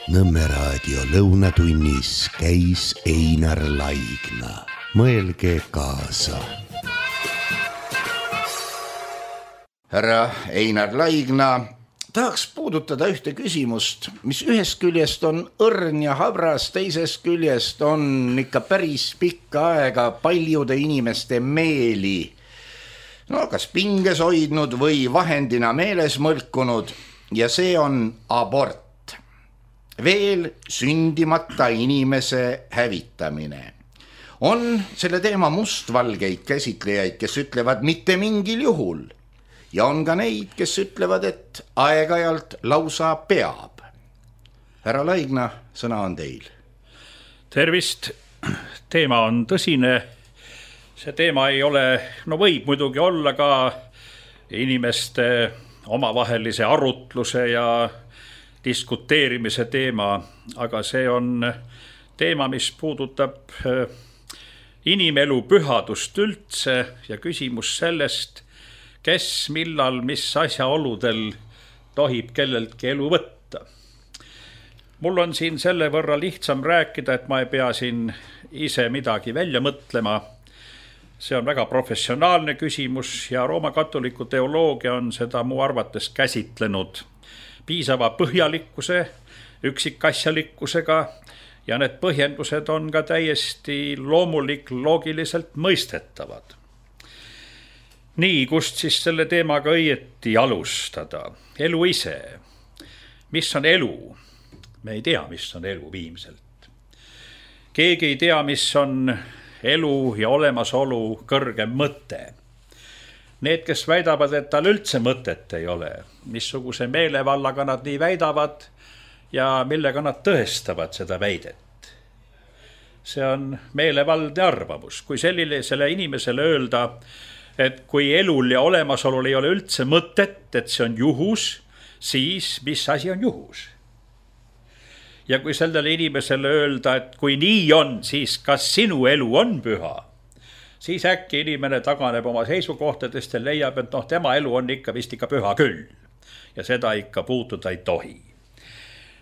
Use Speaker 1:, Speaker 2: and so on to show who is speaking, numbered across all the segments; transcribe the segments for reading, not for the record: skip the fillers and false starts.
Speaker 1: Nõmme raadio lõunatunnis käis Einar Laigna. Mõelge kaasa. Härra Einar Laigna tahaks puudutada ühte küsimust, mis ühest küljest on õrn ja habras, teisest küljest on ikka päris pikka aega paljude inimeste meeli kas pinges hoidnud või vahendina meeles mõlkunud, ja see on abort. Veel sündimata inimese hävitamine. On selle teema mustvalgeid käsitlejaid, kes ütlevad mitte mingil juhul, ja on ka neid, kes ütlevad, et aeg-ajalt lausa peab. Härra Laigna, sõna on teil.
Speaker 2: Tervist, teema on tõsine. See teema ei ole, võib muidugi olla ka inimeste omavahelise arutluse ja diskuteerimise teema, aga see on teema, mis puudutab inimelu pühadust üldse ja küsimus sellest, kes, millal, mis asjaoludel tohib kelleltki elu võtta. Mul on siin selle võrra lihtsam rääkida, et ma ei pea siin ise midagi välja mõtlema. See on väga professionaalne küsimus ja Rooma katoliku teoloogia on seda mu arvates käsitlenud piisava põhjalikkuse, üksikasjalikkusega ja need põhjendused on ka täiesti loogiliselt mõistetavad. Nii, kust siis selle teemaga õieti alustada? Elu ise. Mis on elu? Me ei tea, mis on elu viimselt. Keegi ei tea, mis on elu ja olemasolu kõrgem mõte. Need, kes väidavad, et tal üldse mõtet ei ole, missuguse meelevallaga nad nii väidavad ja millega nad tõestavad seda väidet. See on meelevaldne arvamus. Kui sellisele inimesele öelda, et kui elul ja olemasolul ei ole üldse mõtet, et see on juhus, siis mis asi on juhus? Ja kui sellele inimesele öelda, et kui nii on, siis kas sinu elu on püha, siis äkki inimene taganeb oma seisukohtadest ja leiab, et tema elu on vist ikka püha küll. Ja seda ikka puutuda ei tohi.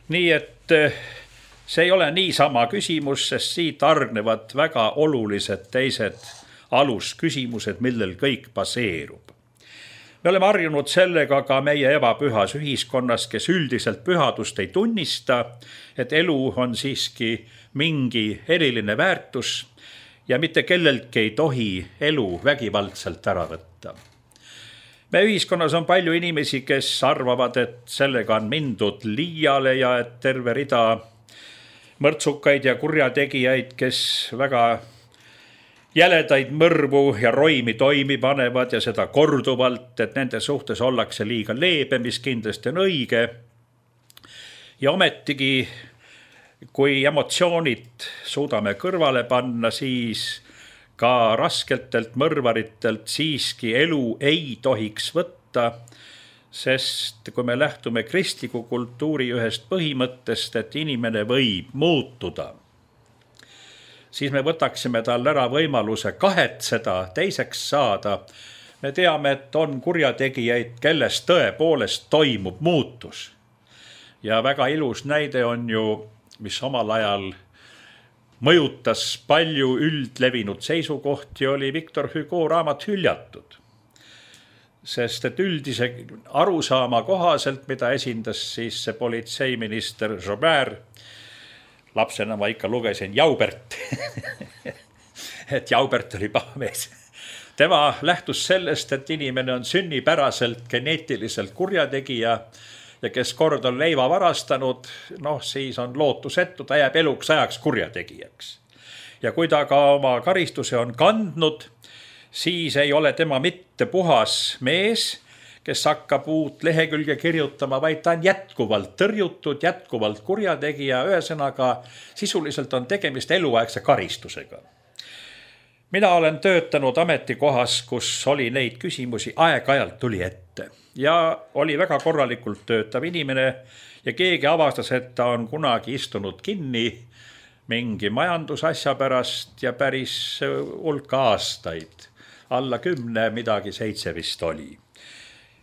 Speaker 2: Nii et see ei ole niisama küsimus, sest siit argnevad väga olulised teised alusküsimused, millel kõik baseerub. Me oleme harjunud sellega ka meie ebapühas ühiskonnas, kes üldiselt pühadust ei tunnista, et elu on siiski mingi eriline väärtus ja mitte kelleltki ei tohi elu vägivaldselt ära võtta. Me ühiskonnas on palju inimesi, kes arvavad, et sellega on mindud liiale ja et terve rida mõrtsukaid ja kurjategijaid, kes väga jäledaid mõrvu ja roimi toimi panevad ja seda korduvalt, et nende suhtes ollakse liiga leebe, mis kindlasti on õige. Ja ometigi, kui emotsioonid suudame kõrvale panna, siis ka raskeltelt mõrvaritelt siiski elu ei tohiks võtta, sest kui me lähtume kristliku kultuuri ühest põhimõttest, et inimene võib muutuda, siis me võtaksime tal ära võimaluse kahetseda, teiseks saada. Me teame, et on kurjategijaid, kelles tõepoolest toimub muutus. Ja väga ilus näide on ju, mis omal ajal mõjutas palju üldlevinud seisukohti, oli Victor Hugo raamat Hüljatud. Sest et üldise arusaama kohaselt, mida esindas siis see politseiminister Joubert, lapsena ma ikka lugesin Jaubert, et Jaubert oli paha mees. Tema lähtus sellest, et inimene on sünnipäraselt geneetiliselt kurjategija ja kes kord on leiva varastanud, siis on lootusetu, ta jääb eluks ajaks kurjategijaks. Ja kui ta ka oma karistuse on kandnud, siis ei ole tema mitte puhas mees, kes hakkab uut lehekülge kirjutama, vaid ta on jätkuvalt tõrjutud, jätkuvalt kurjategija, ühesõnaga sisuliselt on tegemist eluaegse karistusega. Mina olen töötanud ametikohas, kus oli neid küsimusi, aeg-ajalt tuli ette ja oli väga korralikult töötav inimene ja keegi avastas, et ta on kunagi istunud kinni mingi majandusasja pärast ja päris hulka aastaid, alla 10, midagi 7 vist oli.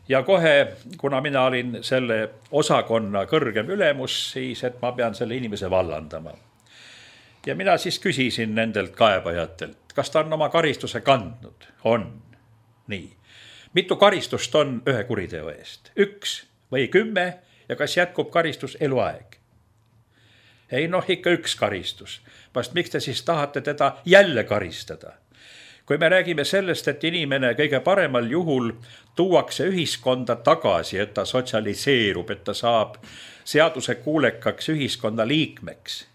Speaker 2: Ja kohe, kuna mina olin selle osakonna kõrgem ülemus, siis et ma pean selle inimese vallandama. Ja mina siis küsisin nendelt kaebajatelt, kas ta on oma karistuse kandnud? On. Nii. Mitu karistust on ühe kuriteo eest? 1 või 10 ja kas jätkub karistus eluaeg? Ei ikka 1 karistus. Vast miks te siis tahate teda jälle karistada? Kui me räägime sellest, et inimene kõige paremal juhul tuuakse ühiskonda tagasi, et ta sotsialiseerub, et ta saab seaduse kuulekaks ühiskonda liikmeks,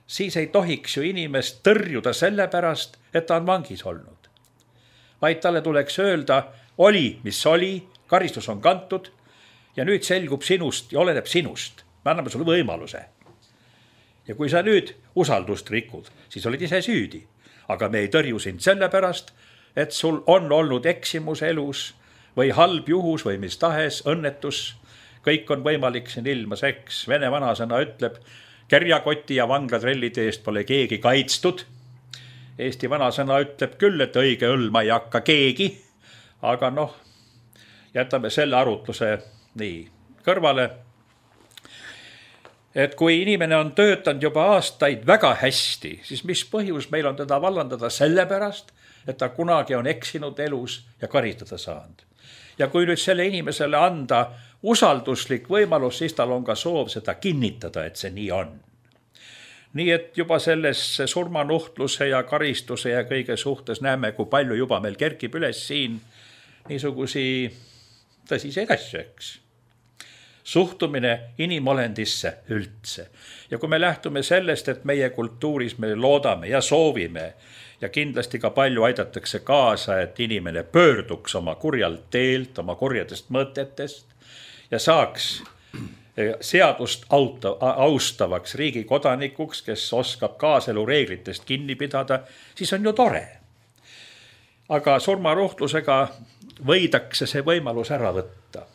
Speaker 2: siis ei tohiks ju inimest tõrjuda selle pärast, et ta on vangis olnud. Vaid talle tuleks öelda, oli, mis oli, karistus on kantud ja nüüd selgub sinust ja oleneb sinust. Me anname sulle võimaluse. Ja kui sa nüüd usaldust rikud, siis olid ise süüdi. Aga me ei tõrju sind selle pärast, et sul on olnud eksimus elus või halb juhus või mis tahes õnnetus. Kõik on võimalik siin ilmas, eks. Vene vanasõna ütleb, kerjakoti ja vanglatrellide eest pole keegi kaitstud. Eesti vanasõna ütleb küll, et õige õlma ei hakka keegi. Aga jätame selle arutluse nii kõrvale. Et kui inimene on töötanud juba aastaid väga hästi, siis mis põhjus meil on teda vallandada selle pärast, et ta kunagi on eksinud elus ja karistada saanud. Ja kui nüüd selle inimesele anda usalduslik võimalus, siis tal on ka soov seda kinnitada, et see nii on. Nii et juba selles surmanuhtluse ja karistuse ja kõige suhtes näeme, kui palju juba meil kerkib üles siin niisugusi tõsiseid asju, eks. Suhtumine inimolendisse üldse. Ja kui me lähtume sellest, et meie kultuuris me loodame ja soovime ja kindlasti ka palju aidatakse kaasa, et inimene pöörduks oma kurjalt teelt, oma kurjadest mõtetest ja saaks seadust austavaks riigi kodanikuks, kes oskab kaaselu reeglitest kinni pidada, siis on ju tore. Aga surmanuhtlusega võidakse see võimalus ära võtta.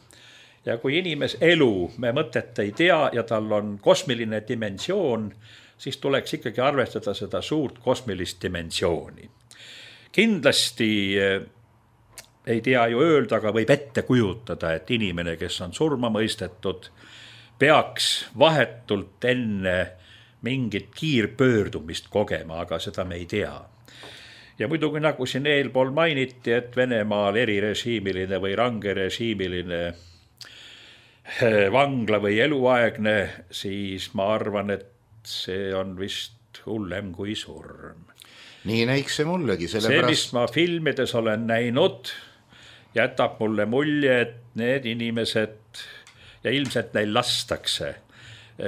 Speaker 2: Ja kui inimes elu me mõtet ei tea ja tal on kosmiline dimensioon, siis tuleks ikkagi arvestada seda suurt kosmilist dimensiooni. Kindlasti ei tea ju öelda, aga võib ette kujutada, et inimene, kes on surma mõistetud, peaks vahetult enne mingit kiirpöördumist kogema, aga seda me ei tea. Ja muidugi nagu siin eelpool mainiti, et Venemaal erirežiimiline või rangerežiimiline vangla või eluaegne, siis ma arvan, et see on vist hullem kui surm.
Speaker 1: Nii näiks see mullegi.
Speaker 2: See, mis ma filmides olen näinud, jätab mulle mulje, et need inimesed ja ilmselt neil lastakse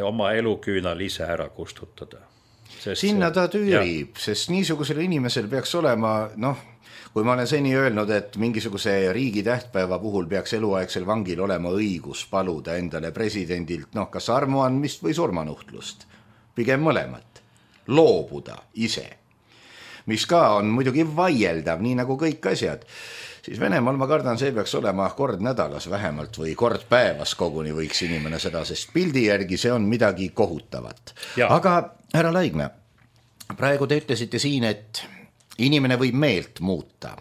Speaker 2: oma eluküünal ise ära kustutada.
Speaker 1: Sinna ta tüürib, sest niisugusel inimesel peaks olema, kui ma olen seni öelnud, et mingisuguse riigi tähtpäeva puhul peaks eluaegsel vangil olema õigus paluda endale presidendilt, kas armuandmist või surmanuhtlust. Pigem mõlemat. Loobuda ise. Mis ka on muidugi vaieldav, nii nagu kõik asjad. Siis Venemaal ma kardan, see peaks olema kord nädalas vähemalt või kord päevas koguni võiks inimene seda, sest pildi järgi see on midagi kohutavat. Ja. Aga härra Laigna, praegu te ütlesite siin, et inimene võib meelt muuta,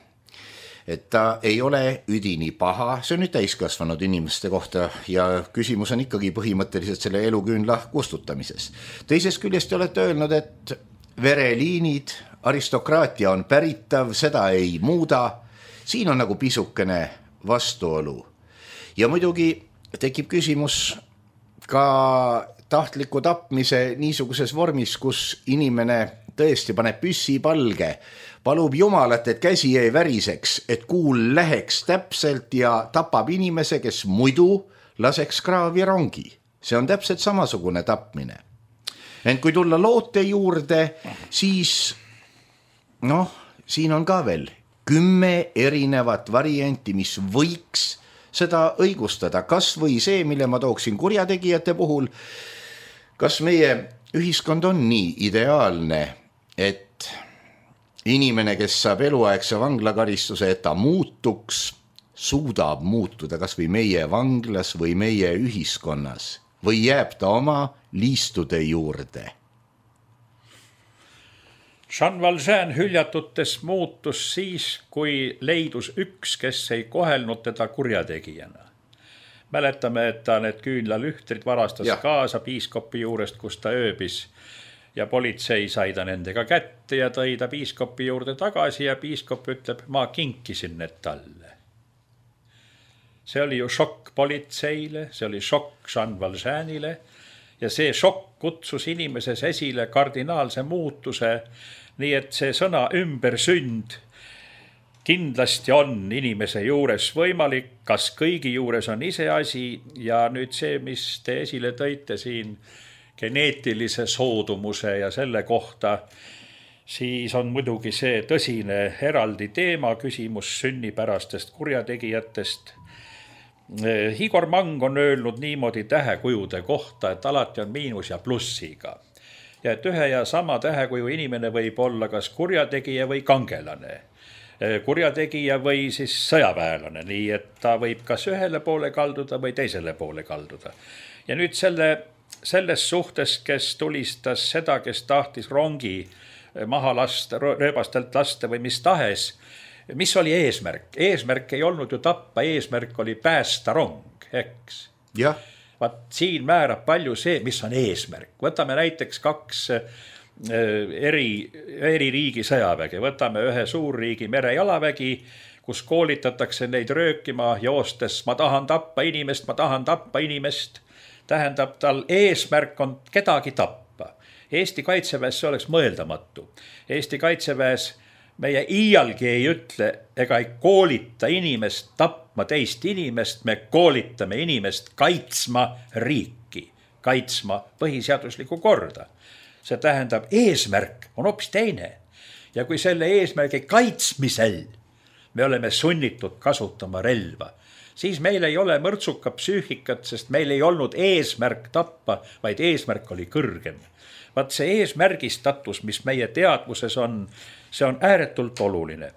Speaker 1: et ta ei ole üdini paha, see on nüüd täiskasvanud inimeste kohta ja küsimus on ikkagi põhimõtteliselt selle eluküünla kustutamises. Teisest küljest te olete öelnud, et vereliinid, aristokraatia on päritav, seda ei muuda, siin on nagu pisukene vastuolu. Ja muidugi tekib küsimus ka tahtliku tapmise niisuguses vormis, kus inimene tõesti paneb püssi palge, palub Jumalat, et käsi ei väriseks, et kuul läheks täpselt ja tapab inimese, kes muidu laseks kraavi rongi. See on täpselt samasugune tapmine. Ent kui tulla loote juurde, siis siin on ka veel 10 erinevat varianti, mis võiks seda õigustada. Kas või see, mille ma tooksin kurjategijate puhul, kas meie ühiskond on nii ideaalne, et inimene, kes saab eluaegse vanglakaristuse, et ta muutuks, suudab muutuda kas või meie vanglas või meie ühiskonnas või jääb ta oma liistude juurde?
Speaker 2: Jean Valjean hüljatutes muutus siis, kui leidus üks, kes ei kohelnud teda kurjategijana. Mäletame, et ta need küünlalühtrid varastas kaasa piiskopi juurest, kus ta ööbis ja politsei sai ta nendega kätte ja tõi ta piiskopi juurde tagasi ja piiskop ütleb, ma kinkisin need talle. See oli ju šokk politseile, see oli šokk Jean Valjeanile ja see šokk kutsus inimeses esile kardinaalse muutuse, nii et see sõna ümbersünd kindlasti on inimese juures võimalik, kas kõigi juures on iseasi ja nüüd see, mis te esile tõite siin geneetilise soodumuse ja selle kohta, siis on muidugi see tõsine eraldi teema, küsimus sünnipärastest kurjategijatest. Igor Mang on öelnud niimoodi tähekujude kohta, et alati on miinus ja plussiga. Ja et ühe ja sama tähekuju inimene võib olla kas kurjategija või kangelane. Kurjategija või siis sõjaväelane, nii et ta võib kas ühele poole kalduda või teisele poole kalduda. Ja nüüd selles suhtes, kes tulistas seda, kes tahtis rongi maha lasta, rööbastelt lasta või mis tahes, mis oli eesmärk? Eesmärk ei olnud ju tappa, eesmärk oli päästa rong, eks?
Speaker 1: Jah.
Speaker 2: Vaat siin määrab palju see, mis on eesmärk. Võtame näiteks 2 eri riigi sõjavägi. Võtame ühe suurriigi merejalavägi, kus koolitatakse neid röökima joostes. Ma tahan tappa inimest. Tähendab, tal eesmärk on kedagi tappa. Eesti kaitseväes see oleks mõeldamatu. Eesti kaitseväes meie iialgi ei ütle ega ei koolita inimest tapma teist inimest, me koolitame inimest kaitsma riiki, kaitsma põhiseaduslikku korda. See tähendab, eesmärk on hoopis teine. Ja kui selle eesmärgi kaitsmisel me oleme sunnitud kasutama relva, siis meil ei ole mõrtsuka psüühikat, sest meil ei olnud eesmärk tappa, vaid eesmärk oli kõrgem. Vaat see eesmärgistatus, mis meie teadvuses on, see on ääretult oluline.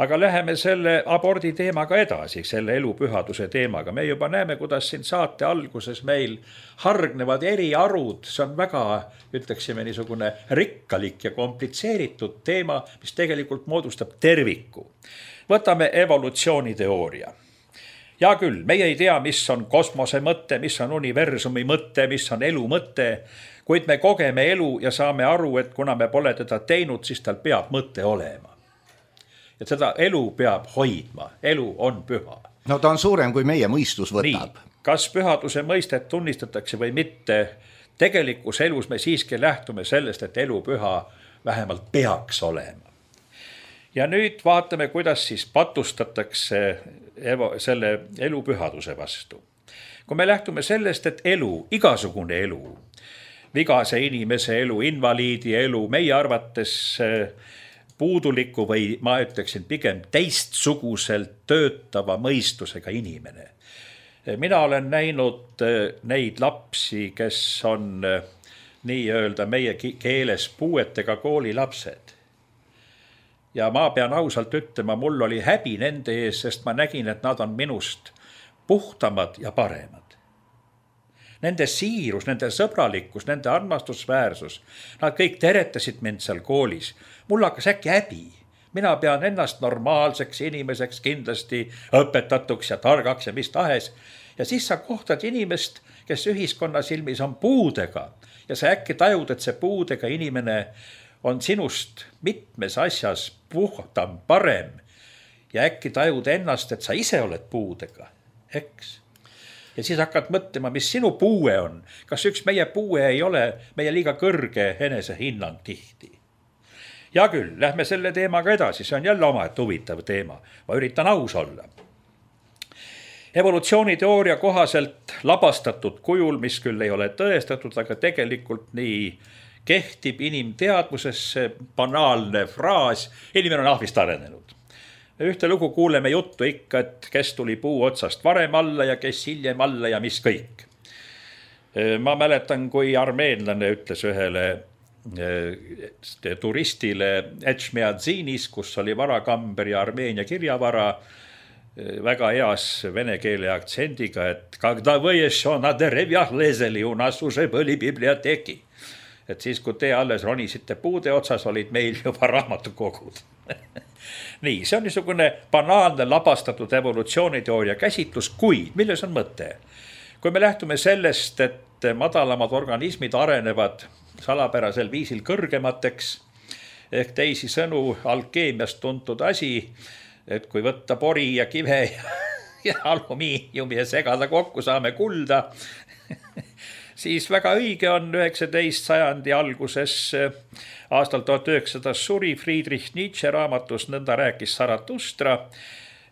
Speaker 2: Aga läheme selle abordi teemaga edasi, selle elupühaduse teemaga. Me juba näeme, kuidas siin saate alguses meil hargnevad eri arud. See on väga, ütleksime, niisugune rikkalik ja komplitseeritud teema, mis tegelikult moodustab terviku. Võtame evolutsiooniteooria. Ja küll, meie ei tea, mis on kosmose mõte, mis on universumi mõte, mis on elu mõte, kuid me kogeme elu ja saame aru, et kuna me pole teda teinud, siis tal peab mõte olema. Ja seda elu peab hoidma, elu on püha.
Speaker 1: No ta on suurem, kui meie mõistus võtab.
Speaker 2: Nii, kas pühaduse mõistet tunnistatakse või mitte, tegelikus elus me siiski lähtume sellest, et elu püha vähemalt peaks olema. Ja nüüd vaatame, kuidas siis patustatakse selle elu pühaduse vastu. Kui me lähtume sellest, et elu, igasugune elu, vigase inimese elu, invaliidi elu, meie arvates puuduliku või ma ütleksin pigem teistsuguselt töötava mõistusega inimene. Mina olen näinud neid lapsi, kes on nii-öelda meie keeles puuetega koolilapsed. Ja ma pean ausalt ütlema, mul oli häbi nende ees, sest ma nägin, et nad on minust puhtamad ja paremad. Nende siirus, nende sõbralikkus, nende armastusväärsus, nad kõik teretasid mind seal koolis. Mul hakkas äkki häbi. Mina pean ennast normaalseks inimeseks kindlasti õpetatuks ja targaks ja mis tahes. Ja siis sa kohtad inimest, kes ühiskonna silmis on puudega ja sa äkki tajud, et see puudega inimene on sinust mitmes asjas puhtam, parem ja äkki tajud ennast, et sa ise oled puudega, eks? Ja siis hakkad mõtlema, mis sinu puue on. Kas üks meie puue ei ole meie liiga kõrge enesehinnang tihti? Ja küll, lähme selle teemaga edasi. See on jälle omaette huvitav teema. Ma üritan aus olla. Evolutsiooniteooria kohaselt labastatud kujul, mis küll ei ole tõestatud, aga tegelikult nii kehtib inimteadvusesse banaalne fraas, inimene on ahvist arenenud. Ühte lugu kuuleme juttu ikka, et kes tuli puu otsast varem alla ja kes hiljem alla ja mis kõik. Ma mäletan, kui armeenlane ütles ühele turistile Etšmiadzinis, kus oli varakamber ja Armeenia kirjavara, väga heas vene keele aktsendiga, et когда вы еще на деревьях лезали, у нас уже были библиотеки. et siis, kui te alles ronisite puude otsas, olid meil juba raamatukogud. Nii, see on niisugune banaalne labastatud evolutsiooniteooria käsitlus, kuid milles on mõte? Kui me lähtume sellest, et madalamad organismid arenevad salapärasel viisil kõrgemateks, ehk teisi sõnu alkeemiast tuntud asi, et kui võtta pori ja kive ja alumiiniumi ja segada kokku, saame kulda, siis väga õige on 19. sajandi alguses aastal 1900 suri Friedrich Nietzsche raamatus Nõnda rääkis Zarathustra,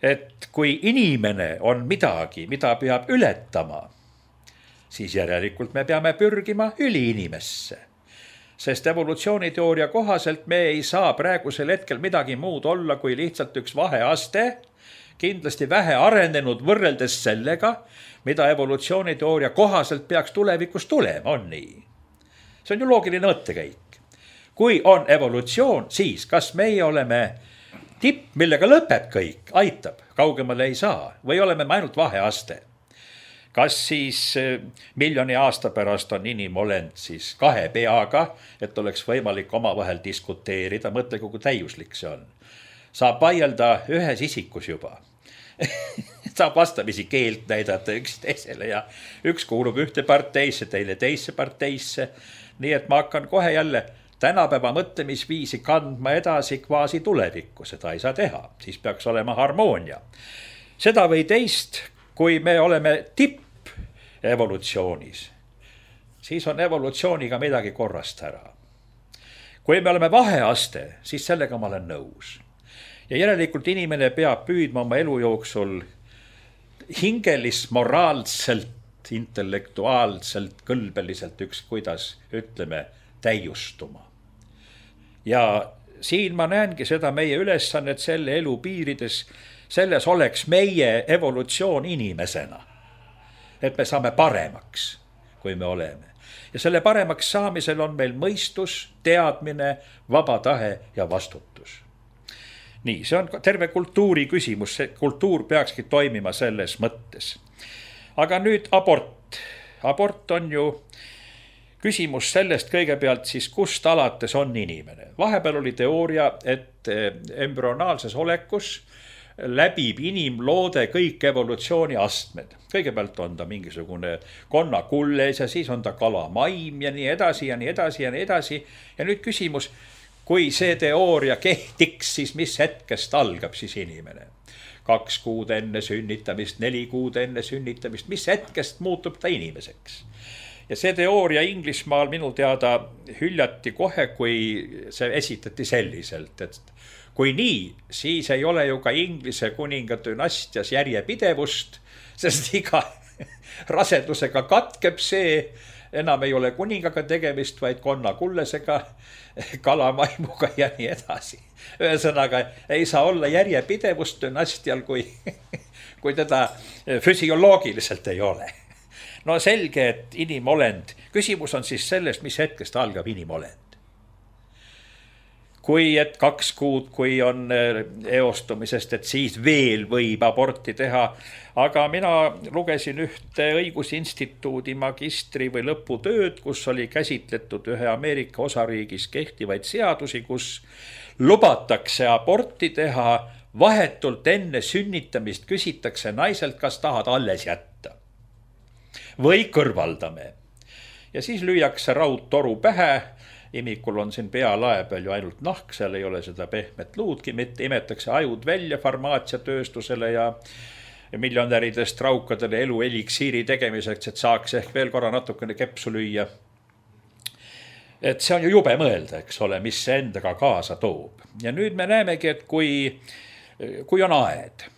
Speaker 2: et kui inimene on midagi, mida peab ületama, siis järelikult me peame pürgima üliinimesse. Sest evolutsiooniteooria kohaselt me ei saa praegusel hetkel midagi muud olla kui lihtsalt üks vaheaste, kindlasti vähe arenenud võrreldes sellega, mida evolutsiooniteooria kohaselt peaks tulevikus tulema, on nii. See on ju loogiline mõttekäik. Kui on evolutsioon, siis kas meie oleme tipp, millega lõpeb kõik, aitab, kaugemale ei saa, või oleme me ainult vaheaste? Kas siis miljoni aasta pärast on inimolend siis 2 peaga, et oleks võimalik omavahel diskuteerida, mõtle, kui täiuslik see on. Saab vaielda ühes isikus juba. Saab vastamisi keelt näidata üksteisele ja üks kuulub ühte parteisse, teile teisse parteisse. Nii et ma hakkan kohe jälle tänapäeva mõtlemisviisi kandma edasi kvaasi tulevikku, seda ei saa teha, siis peaks olema harmoonia. Seda või teist, kui me oleme tipp evolutsioonis, siis on evolutsiooniga midagi korrast ära. Kui me oleme vaheaste, siis sellega ma olen nõus. Ja järelikult inimene peab püüdma oma elu jooksul hingelist, moraalselt, intellektuaalselt, kõlbeliselt kuidas ütleme, täiustuma. Ja siin ma näengi seda meie ülesannet selle elu piirides, selles oleks meie evolutsioon inimesena. Et me saame paremaks, kui me oleme. Ja selle paremaks saamisel on meil mõistus, teadmine, vaba tahe ja vastutus. Nii, see on terve kultuuri küsimus, see kultuur peakski toimima selles mõttes. Aga nüüd abort. Abort on ju küsimus sellest kõigepealt siis, kust alates on inimene. Vahepeal oli teooria, et embrüonaalses olekus läbib inimloode kõik evolutsiooni astmed. Kõigepealt on ta mingisugune konnakulles ja siis on ta kalamaim ja nii edasi ja nii edasi ja nii edasi. Ja nüüd küsimus, kui see teooria kehtiks, siis mis hetkest algab siis inimene? 2 kuud enne sünnitamist, 4 kuud enne sünnitamist, mis hetkest muutub ta inimeseks? Ja see teooria Inglismaal minu teada hüljati kohe, kui see esitati selliselt, et kui nii, siis ei ole ju ka Inglise kuninga dünastias järjepidevust, sest iga rasedusega katkeb see, enam ei ole kuningaga tegemist, vaid konnakullesega, kalamaimuga ja nii edasi. Ühesõnaga, ei saa olla järjepidevust dünastial, kui teda füsioloogiliselt ei ole. No selge, et inimolend, küsimus on siis sellest, mis hetkest algab inimolend. Kui et 2 kuud, kui on eostumisest, et siis veel võib aborti teha. Aga mina lugesin ühte õigusinstituudi magistri või lõputööd, kus oli käsitletud ühe Ameerika osariigis kehtivaid seadusi, kus lubatakse aborti teha vahetult enne sünnitamist, küsitakse naiselt, kas tahad alles jätta või kõrvaldame. Ja siis lüüakse raudtoru pähe. Imikul on siin pealae peal ju ainult nahk, seal ei ole seda pehmet luudki, mitte imetakse ajud välja farmaatsiatööstusele ja miljonäridest raukadele elu eliksiiri tegemiseks, et saaks ehk veel korra natukene kepsu lüüa. Et see on ju jube mõelda, eks ole, mis see endaga kaasa toob. Ja nüüd me näemegi, et kui on aed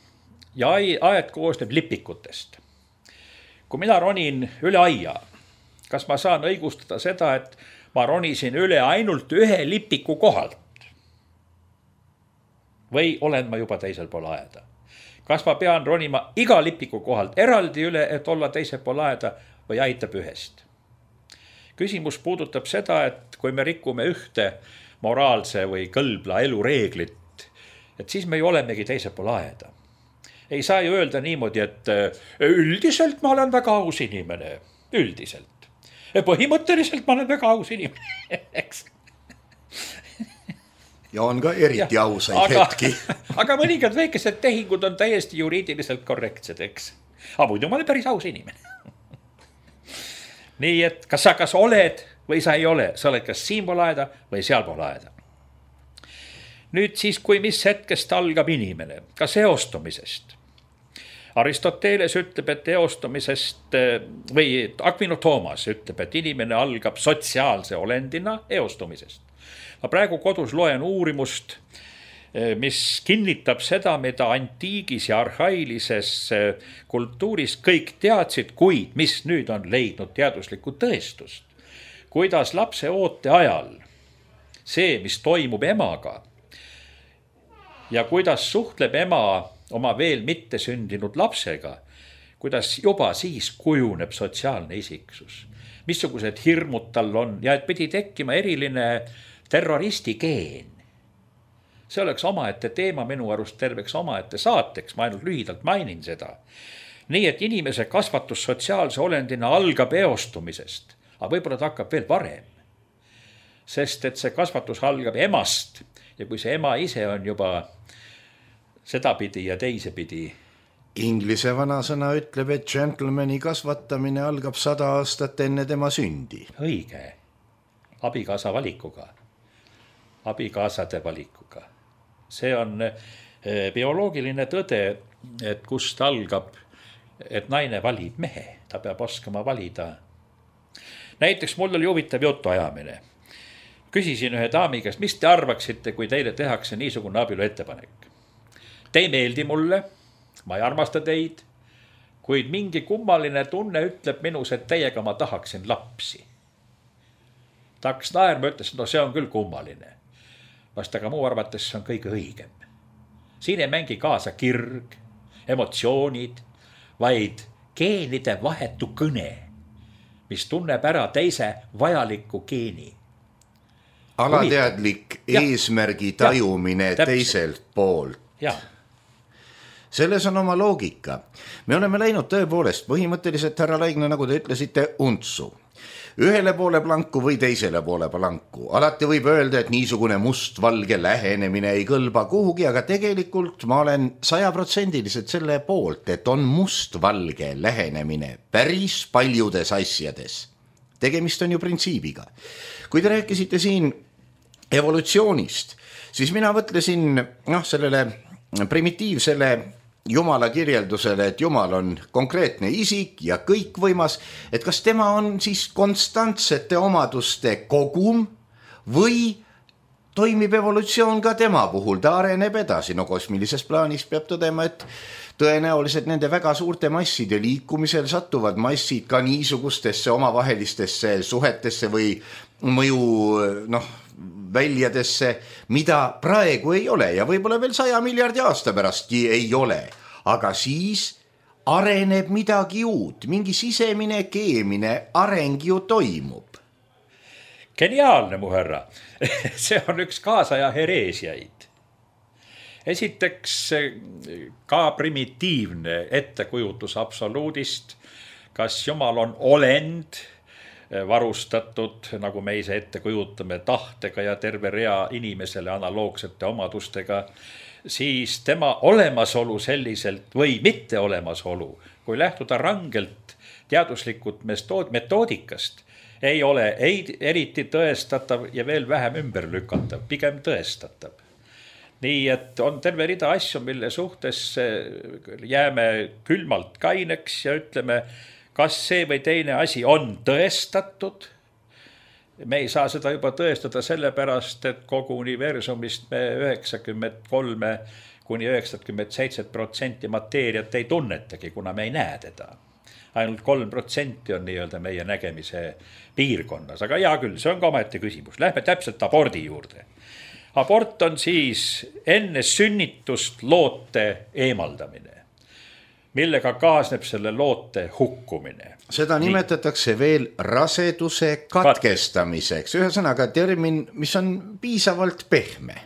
Speaker 2: ja aed koosneb lipikutest. Kui mina ronin üle aia, kas ma saan õigustada seda, et ma ronisin üle ainult ühe lipiku kohalt? Või olen ma juba teisel pool aeda? Kas ma pean ronima iga lipiku kohalt eraldi üle, et olla teisel pool aeda või aitab ühest? Küsimus puudutab seda, et kui me rikume ühte moraalse või kõlbla elureeglit, et siis me ju olemegi teisel pool aeda. Ei saa ju öelda niimoodi, et üldiselt ma olen väga aus inimene, üldiselt. Põhimõtteliselt ma olen väga aus inimene, eks.
Speaker 1: Ja on ka eriti ausaid hetki.
Speaker 2: Aga mõningad väikesed tehingud on täiesti juriidiliselt korrektsed, eks. Aga muidu ma olen päris aus inimene. Nii et kas sa oled või sa ei ole, sa oled kas siinpool aeda või sealpool aeda. Nüüd siis, kui mis hetkest algab inimene, ka seostumisest. Aristoteles ütleb, et eostumisest või Aquino Thomas ütleb, et inimene algab sotsiaalse olendina eostumisest. Ma praegu kodus loen uurimust, mis kinnitab seda, mida antiigis ja arhailises kultuuris kõik teadsid, kuid mis nüüd on leidnud teaduslikku tõestust. Kuidas lapse oote ajal see, mis toimub emaga ja kuidas suhtleb ema oma veel mitte sündinud lapsega, kuidas juba siis kujuneb sotsiaalne isiksus, missugused hirmud tal on ja et pidi tekkima eriline terroristi geen. See oleks omaette teema minu arust terveks omaette saateks, ma ainult lühidalt mainin seda. Nii et inimese kasvatus sotsiaalse olendina algab eostumisest, aga võib-olla ta hakkab veel varem. Sest et see kasvatus algab emast ja kui see ema ise on juba sedapidi ja teisepidi.
Speaker 1: Inglise vanasõna ütleb, et gentlemani kasvatamine algab 100 aastat enne tema sündi.
Speaker 2: Õige. Abikaasa valikuga. Abikaasade valikuga. See on bioloogiline tõde, et kust algab, et naine valib mehe. Ta peab oskama valida. Näiteks mul oli huvitav jutuajamine. Küsisin ühe daami käest, mis te arvaksite, kui teile tehakse niisugune abielu ettepanek? Te ei meeldi mulle, ma ei armasta teid, kuid mingi kummaline tunne ütleb minus, et teiega ma tahaksin lapsi. Ta hakkas naerma, ütles, no see on küll kummaline. Vast aga muu arvates see on kõige õigem. Siin ei mängi kaasa kirg, emotsioonid, vaid geenide vahetu kõne, mis tunneb ära teise vajaliku geeni.
Speaker 1: Alateadlik eesmärgi tajumine teiselt poolt.
Speaker 2: Jah.
Speaker 1: Selles on oma loogika. Me oleme läinud tõepoolest põhimõtteliselt, härra Laigna, nagu te ütlesite, untsu. Ühele poole planku või teisele poole planku. Alati võib öelda, et niisugune must-valge lähenemine ei kõlba kuhugi, aga tegelikult ma olen 100% selle poolt, et on must-valge lähenemine päris paljudes asjades. Tegemist on ju printsiibiga. Kui te rääkisite siin evolutsioonist, siis mina mõtlesin sellele primitiivsele Jumala kirjeldusele, et Jumal on konkreetne isik ja kõikvõimas, et kas tema on siis konstantsete omaduste kogum või toimib evolutsioon ka tema puhul, ta areneb edasi. No kosmilises plaanis peab tõdema, et tõenäoliselt nende väga suurte masside liikumisel satuvad massid ka niisugustesse omavahelistesse suhetesse või mõju väljadesse, mida praegu ei ole ja võib-olla veel 100 miljardi aasta pärastki ei ole, aga siis areneb midagi uut, mingi sisemine keemine areng ju toimub.
Speaker 2: Geniaalne, mu härra. See on üks kaasaja hereesiaid. Esiteks ka primitiivne ettekujutus absoluudist, kas Jumal on olend, varustatud, nagu me ise ette kujutame, tahtega ja terve rea inimesele analoogsete omadustega, siis tema olemasolu selliselt või mitte olemasolu, kui lähtuda rangelt teaduslikult metoodikast, ei ole eriti tõestatav ja veel vähem ümber lükatav, pigem tõestatav. Nii et on terve rida asju, mille suhtes jääme külmalt kaineks ja ütleme, kas see või teine asi on tõestatud. Me ei saa seda juba tõestada sellepärast, et kogu universumist me 93 kuni 97% mateeriat ei tunnetagi, kuna me ei näe teda. Ainult 3% on nii-öelda meie nägemise piirkonnas, aga hea küll, see on ka omaette küsimus. Lähme täpselt abordi juurde. Abort on siis enne sünnitust loote eemaldamine, millega kaasneb selle loote hukkumine.
Speaker 1: Seda nimetatakse veel raseduse katkestamiseks. Ühesõnaga termin, mis on piisavalt pehme.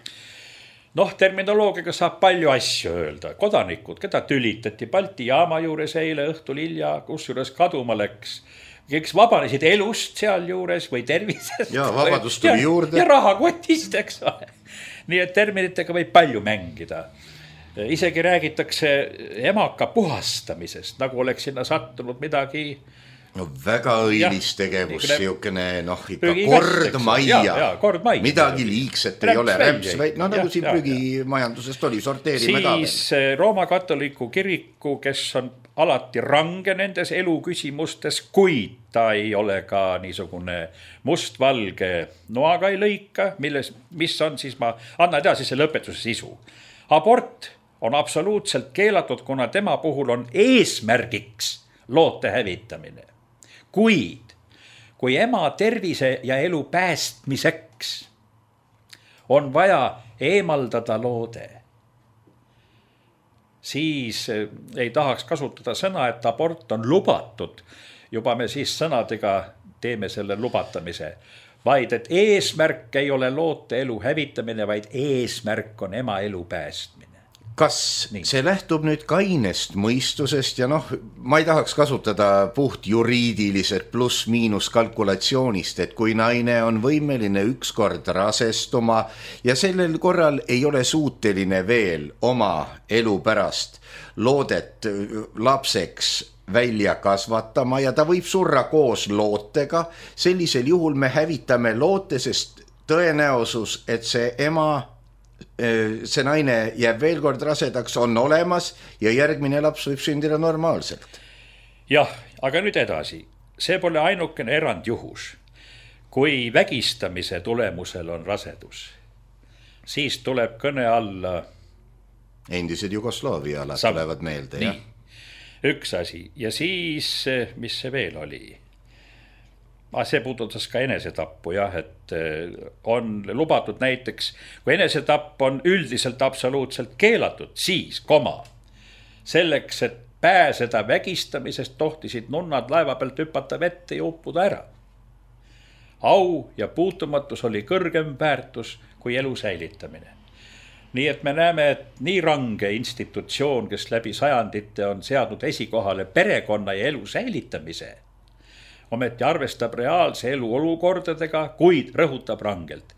Speaker 2: Terminoloogiaga saab palju asju öelda. Kodanikud, keda tülitati Balti jaama juures eile õhtul hilja, kusjuures kaduma läks, kes vabanesid elust seal juures või tervisest.
Speaker 1: Ja vabadus tuli juurde.
Speaker 2: Ja rahakotist, eks ole. Nii et terminitega võib palju mängida. Isegi räägitakse emaka puhastamisest, nagu oleks sinna sattunud midagi.
Speaker 1: No väga õilis tegevus, siukene ikka kord majja. Midagi liigset ei ole. No nagu siin prügimajandusest oli, sorteerime ka.
Speaker 2: Siis Rooma katoliku kiriku, kes on alati range nendes eluküsimustes, kuid ta ei ole ka niisugune mustvalge noaga ei lõika, mis on siis, ma annan edasi see lõpetuse sisu. Abort on absoluutselt keelatud, kuna tema puhul on eesmärgiks loote hävitamine. Kuid, kui ema tervise ja elu päästmiseks on vaja eemaldada loode, siis ei tahaks kasutada sõna, et abort on lubatud. Juba me siis sõnadega teeme selle lubatamise, vaid et eesmärk ei ole loote elu hävitamine, vaid eesmärk on ema elu päästmine.
Speaker 1: Kas see lähtub nüüd kainest mõistusest ja ma ei tahaks kasutada puht juriidiliselt pluss-miinus kalkulatsioonist, et kui naine on võimeline ükskord rasestuma ja sellel korral ei ole suuteline veel oma elu pärast loodet lapseks välja kasvatama ja ta võib surra koos lootega, sellisel juhul me hävitame loote, sest tõenäosus, et see naine jääb veel kord rasedaks, on olemas ja järgmine laps võib sündida normaalselt.
Speaker 2: Jah, aga nüüd edasi. See pole ainukene erandjuhus. Kui vägistamise tulemusel on rasedus, siis tuleb kõne alla
Speaker 1: endised Jugoslaavia alad tulevad meelde.
Speaker 2: Nii, üks asi. Ja siis, mis see veel oli? See puudutas ka enesetappu, et on lubatud näiteks, kui enesetapp on üldiselt absoluutselt keelatud, siis, selleks, et pääseda vägistamisest, tohtisid nunnad laeva pealt hüpata vette ja uppuda ära. Au ja puutumatus oli kõrgem väärtus kui elu säilitamine. Nii et me näeme, et nii range institutsioon, kes läbi sajandite on seadnud esikohale perekonna ja elu säilitamise, ometi arvestab reaalse elu olukordadega, kuid rõhutab rangelt.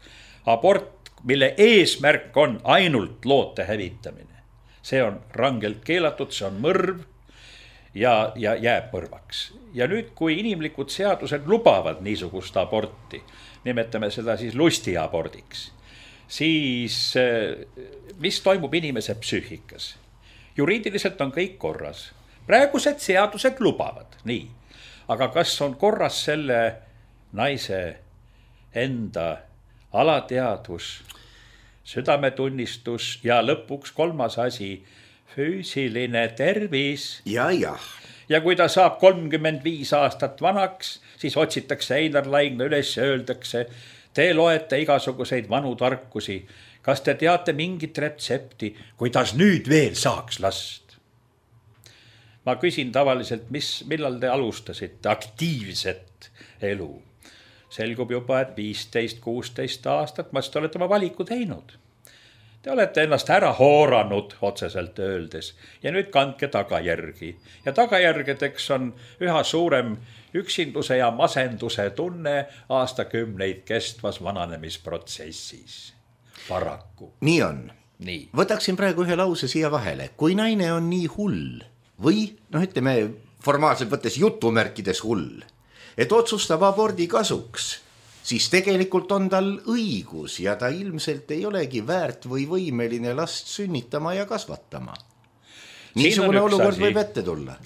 Speaker 2: Abort, mille eesmärk on ainult loote hävitamine. See on rangelt keelatud, see on mõrv ja jääb mõrvaks. Ja nüüd, kui inimlikud seadused lubavad niisugust aborti, nimetame seda siis lustiabordiks, siis mis toimub inimese psüühikas? Juriidiliselt on kõik korras. Praegused seadused lubavad, nii. Aga kas on korras selle naise enda alateadvus, südametunnistus ja lõpuks kolmas asi, füüsiline tervis.
Speaker 1: Ja.
Speaker 2: Ja kui ta saab 35 aastat vanaks, siis otsitakse Einar Laigna üles ja öeldakse, te loete igasuguseid vanu tarkusi. Kas te teate mingit retsepti, kuidas nüüd veel saaks last? Ma küsin tavaliselt, millal te alustasite aktiivset elu? Selgub juba, et 15-16 aastat, ma te olete oma valiku teinud. Te olete ennast ära hooranud, otseselt öeldes, ja nüüd kandke tagajärgi. Ja tagajärgedeks on üha suurem üksinduse ja masenduse tunne aastakümneid kestvas vananemisprotsessis. Paraku.
Speaker 1: Nii on. Nii. Võtaksin praegu ühe lause siia vahele. Kui naine on nii hull, või ütleme formaalselt võttes jutumärkides hull, et otsustab abordi kasuks, siis tegelikult on tal õigus ja ta ilmselt ei olegi väärt või võimeline last sünnitama ja kasvatama. Niisugune olukord võib ette tulla.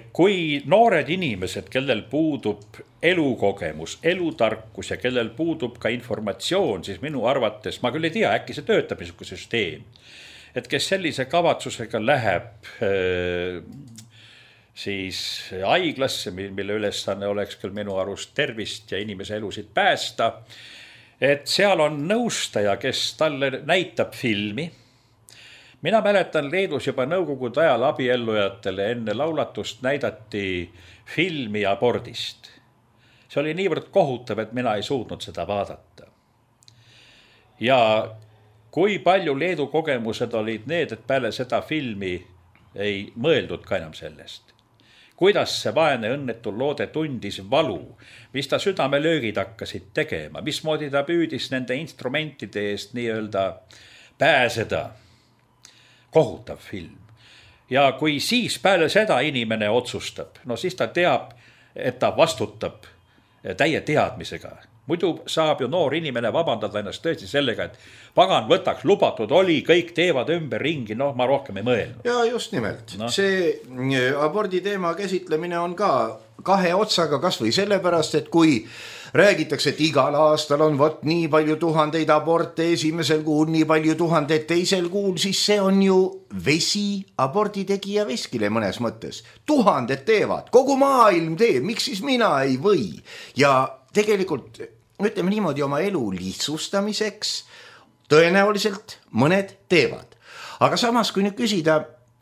Speaker 2: Kui noored inimesed, kellel puudub elukogemus, elutarkus ja kellel puudub ka informatsioon, siis minu arvates, ma küll ei tea, äkki see töötab niisugune süsteem, et kes sellise kavatsusega läheb siis haiglasse, mille ülesanne oleks küll minu arust tervist ja inimese elusid päästa, et seal on nõustaja, kes talle näitab filmi. Mina mäletan Leedus juba nõukogude ajal abiellujatele enne laulatust näidati filmi abordist. See oli niivõrd kohutav, et mina ei suutnud seda vaadata. Ja kui palju Leedu kogemused olid need, et peale seda filmi ei mõeldud ka enam sellest. kuidas see vaene õnnetu loode tundis valu, mis ta südamelöögid hakkasid tegema, mismoodi ta püüdis nende instrumentide eest nii-öelda pääseda. Kohutav film. Ja kui siis peale seda inimene otsustab, no siis ta teab, et ta vastutab täie teadmisega. Muidu saab ju noor inimene vabandada ennast tõesti sellega, et pagan võtaks, lubatud oli, kõik teevad ümber ringi, noh ma rohkem ei mõelnud.
Speaker 1: Ja just nimelt. No. See abordi teema käsitlemine on ka kahe otsaga kas või sellepärast, et kui räägitakse, et igal aastal on võt nii palju tuhandeid aborte esimesel kuul, nii palju tuhandeid teisel kuul, siis see on ju vesi abordi tegija veskile mõnes mõttes. Tuhanded teevad, kogu maailm teeb, miks siis mina ei või? Ja tegelikult, ütleme niimoodi, oma elu lihtsustamiseks tõenäoliselt mõned teevad. Aga samas, kui nüüd küsida,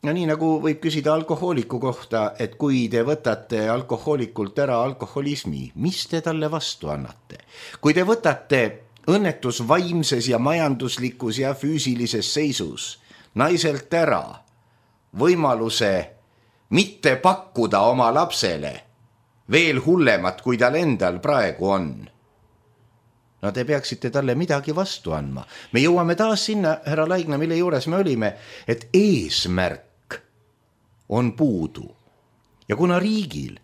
Speaker 1: no nii nagu võib küsida alkohooliku kohta, et kui te võtate alkohoolikult ära alkoholismi, mis te talle vastu annate? Kui te võtate õnnetus vaimses ja majanduslikus ja füüsilises seisus naiselt ära võimaluse mitte pakkuda oma lapsele veel hullemat, kui tal endal praegu on. No te peaksite talle midagi vastu andma. Me jõuame taas sinna, härra Laigna, mille juures me olime, et eesmärk on puudu. Ja kuna riigil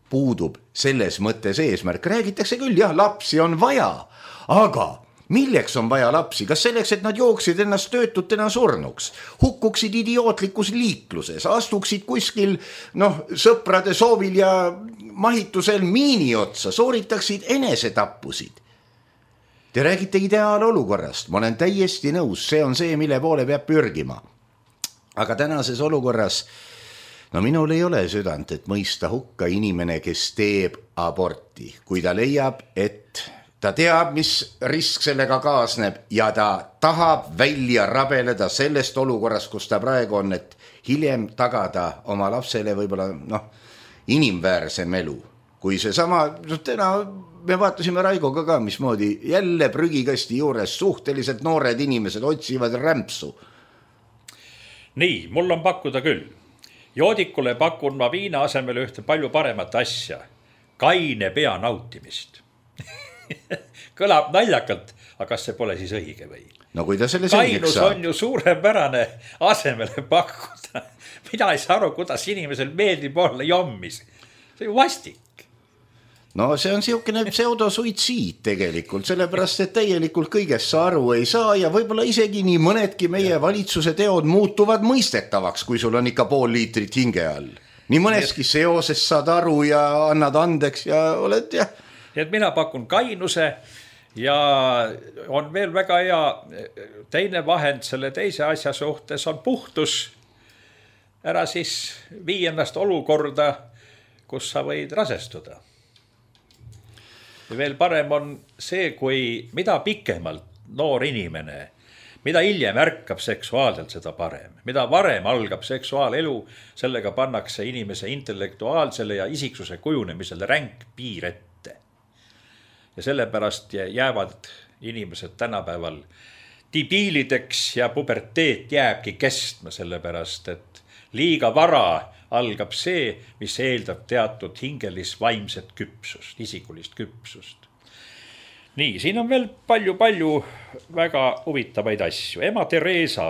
Speaker 1: puudub selles mõttes eesmärk, räägitakse küll, jah, lapsi on vaja, aga milleks on vaja lapsi? Kas selleks, et nad jooksid ennast töötutena surnuks, hukkuksid idiootlikus liikluses, astuksid kuskil sõprade soovil ja mahitusel miini otsa, sooritaksid enesetappusid? Te räägite ideaalolukorrast, ma olen täiesti nõus, see on see, mille poole peab pürgima. Aga tänases olukorras, minul ei ole südant, et mõista hukka inimene, kes teeb aborti, kui ta leiab, et ta teab, mis risk sellega kaasneb ja ta tahab välja rabeleda sellest olukorrast, kus ta praegu on, et hiljem tagada oma lapsele võib-olla inimväärsem elu. Kui see sama, täna me vaatasime Raigoga ka, mismoodi jälle prügikasti juures suhteliselt noored inimesed otsivad rämpsu.
Speaker 2: Nii, mul on pakkuda küll. Joodikule pakun ma viina asemel ühte palju paremat asja. Kaine pea nautimist. Kõlab naljakalt, aga kas see pole siis õige või?
Speaker 1: No kui ta selle selgeks
Speaker 2: saab. Kainus on ju suurepärane asemele pakkuda. Mina ei saa aru, kuidas inimesel meeldib olla jommis. See on vastik.
Speaker 1: No see on siukene pseudosuitsiid tegelikult, sellepärast, et täielikult kõigest sa aru ei saa ja võib-olla isegi nii mõnedki meie valitsuse teod muutuvad mõistetavaks, kui sul on ikka pool liitrit hinge all. Nii mõneski seoses saad aru ja annad andeks ja oled jah.
Speaker 2: Et mina pakun kainuse ja on veel väga hea teine vahend selle teise asja suhtes on puhtus. Ära siis vii ennast olukorda, kus sa võid rasestuda. Ja veel parem on see, kui mida pikemalt noor inimene, mida hiljem ärkab seksuaalselt, seda parem. Mida varem algab seksuaalelu, sellega pannakse inimese intellektuaalsele ja isiksuse kujunemisele ränk piir ette. Ja sellepärast jäävad inimesed tänapäeval debiilideks ja puberteet jääbki kestma, sellepärast, et liiga vara algab see, mis eeldab teatud hingelis vaimset küpsust, isikulist küpsust. Nii, siin on veel palju väga huvitavaid asju. Ema Teresa,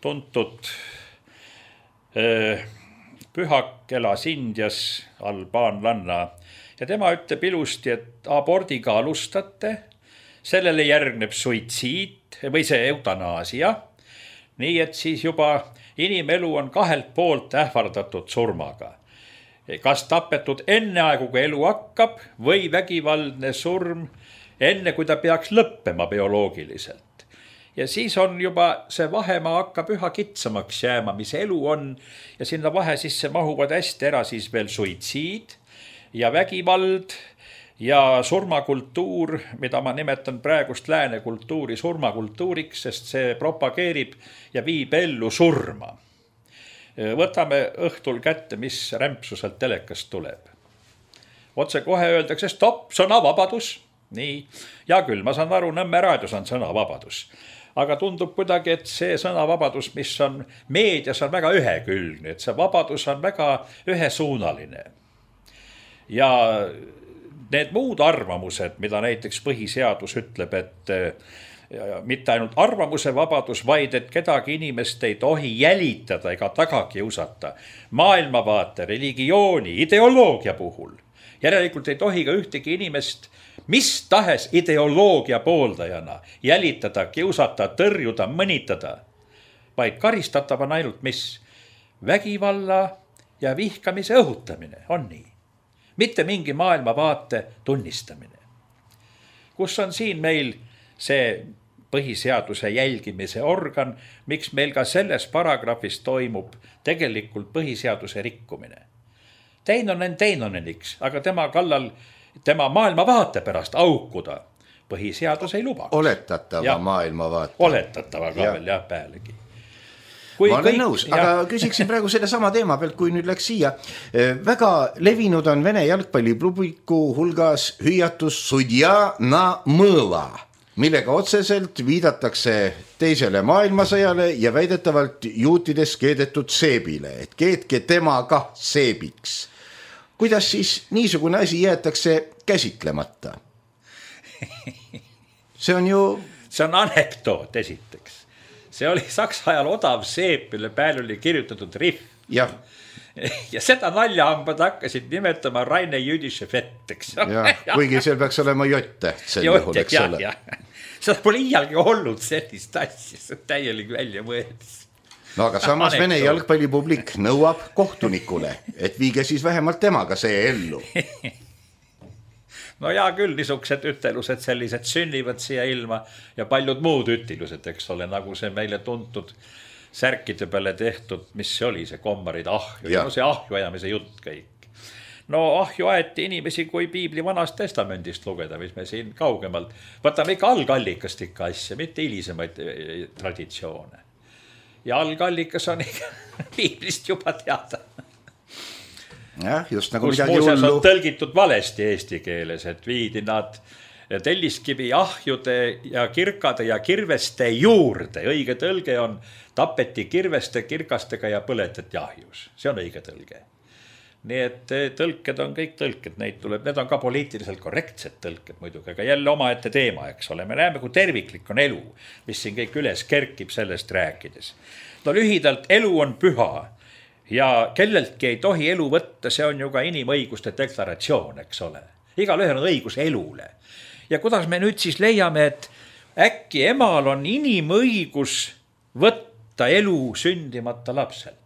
Speaker 2: tuntud pühak, elas Indias, albaanlanna, ja tema ütleb ilusti, et abordiga alustate, sellele järgneb suitsiid või see eutanaasia, nii et siis juba inimelu on kahelt poolt ähvardatud surmaga. Kas tapetud enne aegu, kui elu hakkab, või vägivaldne surm enne, kui ta peaks lõppema bioloogiliselt. Ja siis on juba see vahemaa hakkab üha kitsamaks jääma, mis elu on, ja sinna vahe sisse mahuvad hästi ära siis veel suitsiid ja vägivald ja surmakultuur, mida ma nimetan praegust lääne kultuuri surmakultuuriks, sest see propageerib ja viib ellu surma. Võtame õhtul kätte, mis rämpsuselt telekast tuleb. Otse kohe öeldakse, stopp, sõnavabadus. Nii, ja küll, ma saan aru, Nõmme raadios on sõnavabadus. aga tundub kuidagi, et see sõnavabadus, mis on meedias, on väga ühekülgne, et see vabadus on väga ühesuunaline. Ja need muud arvamused, mida näiteks põhiseadus ütleb, et mitte ainult arvamuse vabadus, vaid et kedagi inimest ei tohi jälitada ega taga kiusata maailmavaate, religiooni, ideoloogia puhul. Järelikult ei tohi ka ühtegi inimest mis tahes ideoloogia pooldajana jälitada, kiusata, tõrjuda, mõnitada, vaid karistatav on ainult mis? Vägivalla ja vihkamise õhutamine, on nii. Mitte mingi maailmavaate tunnistamine. Kus on siin meil see põhiseaduse jälgimise organ, miks meil ka selles paragrahvis toimub tegelikult põhiseaduse rikkumine. Teinoneniks, aga tema kallal, tema maailmavaate pärast aukuda põhiseadus ei luba.
Speaker 1: Oletatava maailmavaate.
Speaker 2: Oletatava ka veel jah pealegi.
Speaker 1: Ma olen nõus, aga küsiksin praegu selle sama teema pealt, kui nüüd läks siia. Väga levinud on Vene jalgpallipubliku hulgas hüüatus sudja na mõõla, millega otseselt viidatakse teisele maailmasõjale ja väidetavalt juutides keedetud seebile, et keetke tema kah seebiks. Kuidas siis niisugune asi jäetakse käsitlemata? See on
Speaker 2: anekdoot esiteks. See oli Saksa ajal odav seep, mille peal oli kirjutatud rihv.
Speaker 1: Ja
Speaker 2: seda naljahambad hakkasid nimetama Raine jüdische fetteks.
Speaker 1: Kuigi seal peaks olema jott-täht sel juhul, eks ole.
Speaker 2: Seda pole iialgi olnud sellist asja, see täielik välja mõeldis.
Speaker 1: No aga samas Vene jalgpallipublik nõuab kohtunikule, et viige siis vähemalt temaga see ellu.
Speaker 2: No jaa küll, niisugused ütelused sellised sünnivad siia ilma ja paljud muud ütilused, eks ole, nagu see meile tuntud särkide peale tehtud, mis see oli, see kommarid ahju, no see ahju ajamise jutt kõik. No ahju aeti inimesi, kui piibli vanast testamendist lugeda, mis me siin kaugemalt, võtame ikka algallikast ikka asja, mitte hilisemaid traditsioone. Ja algallikas on ikka piiblist juba teada.
Speaker 1: Just nagu
Speaker 2: kus muuseas on tõlgitud valesti eesti keeles, et viidi nad telliskivi ahjude ja kirkade ja kirveste juurde. Õige tõlge on tapeti kirveste, kirkastega ja põletati ahjus. See on õige tõlge. Nii et tõlked on kõik tõlked, need on ka poliitiliselt korrektsed tõlked muidugi, aga jälle omaette teema, eks ole. Me näeme, kui terviklik on elu, mis siin kõik üles kerkib sellest rääkides. No lühidalt, elu on püha. Ja kelleltki ei tohi elu võtta, see on ju ka inimõiguste deklaratsioon, eks ole. Igalühel on õigus elule. Ja kuidas me nüüd siis leiame, et äkki emal on inimõigus võtta elu sündimata lapselt?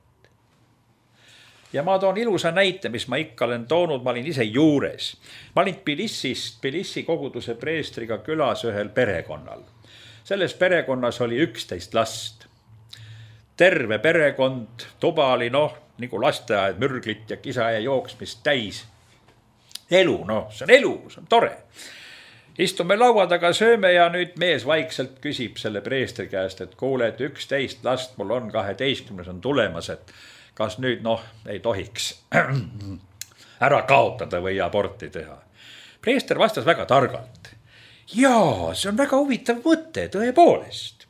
Speaker 2: Ja ma toon ilusa näite, mis ma ikka olen toonud, ma olin ise juures. Ma olin Tbilissi koguduse preestriga külas ühel perekonnal. Selles perekonnas oli 11 last. Terve perekond, tuba oli nagu lasteaed, mürglit ja kisa ja jooksmist täis. Elu, see on elu, see on tore. Istume laua taga, sööme ja nüüd mees vaikselt küsib selle preestri käest, et kuule, et 11 last mul on 12 on tulemas, et kas nüüd ei tohiks ära kaotada või aborti teha. Preester vastas väga targalt. Jaa, see on väga huvitav mõte, tõepoolest.